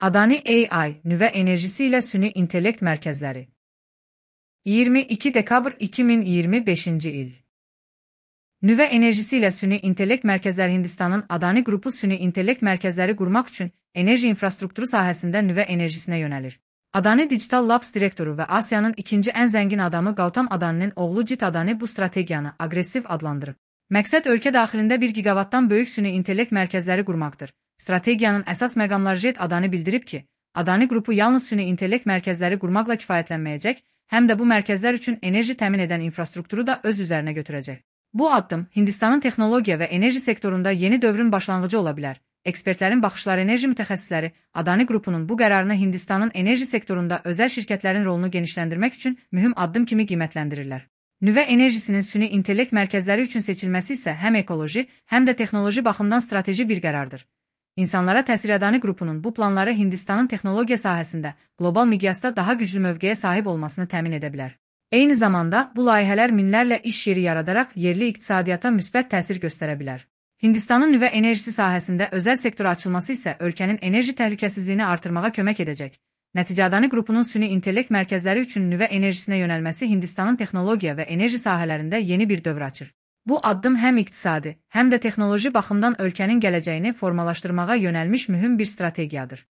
Adani AI, nüvə enerjisi ilə süni intellekt mərkəzləri. 22 dekabr 2025-ci il. Nüvə enerjisi ilə süni intellekt mərkəzləri Hindistanın Adani qrupu süni intellekt mərkəzləri qurmaq üçün enerji infrastrukturu sahəsində nüvə enerjisinə yönəlir. Adani Digital Labs direktoru və Asiyanın ikinci ən zəngin adamı Gautam Adani'nin oğlu Jit Adani bu strategiyanı aqressiv adlandırıb. Məqsəd ölkə daxilində 1 gigavatdan böyük süni intellekt mərkəzləri qurmaqdır. Strategiyanın əsas məqamları Jit Adani bildirib ki, Adani qrupu yalnız süni intellekt mərkəzləri qurmaqla kifayətlənməyəcək, həm də bu mərkəzlər üçün enerji təmin edən infrastrukturu da öz üzərinə götürəcək. Bu addım Hindistanın texnologiya və enerji sektorunda yeni dövrün başlanğıcı ola bilər. Ekspertlərin baxışları enerji mütəxəssisləri Adani qrupunun bu qərarını Hindistanın enerji sektorunda özəl şirkətlərin rolunu genişləndirmək üçün mühüm addım kimi qiymətləndirirlər. Nüvə enerjisinin süni intellekt mərkəzləri üçün seçilməsi isə həm ekoloji, həm də texnoloji baxımdan strateji bir qərardır. İnsanlara təsir Adani qrupunun bu planları Hindistanın texnologiya sahəsində qlobal miqyasda daha güclü mövqeyə sahib olmasını təmin edə bilər. Eyni zamanda bu layihələr minlərlə iş yeri yaradaraq yerli iqtisadiyyata müsbət təsir göstərə bilər. Hindistanın nüvə enerjisi sahəsində özəl sektora açılması isə ölkənin enerji təhlükəsizliyini artırmağa kömək edəcək. Nəticə Adani qrupunun süni intellekt mərkəzləri üçün nüvə enerjisinə yönəlməsi Hindistanın texnologiya və enerji sahələrində yeni bir dövr açır. Bu addım həm iqtisadi, həm də texnoloji baxımdan ölkənin gələcəyini formalaşdırmağa yönəlmiş mühüm bir strategiyadır.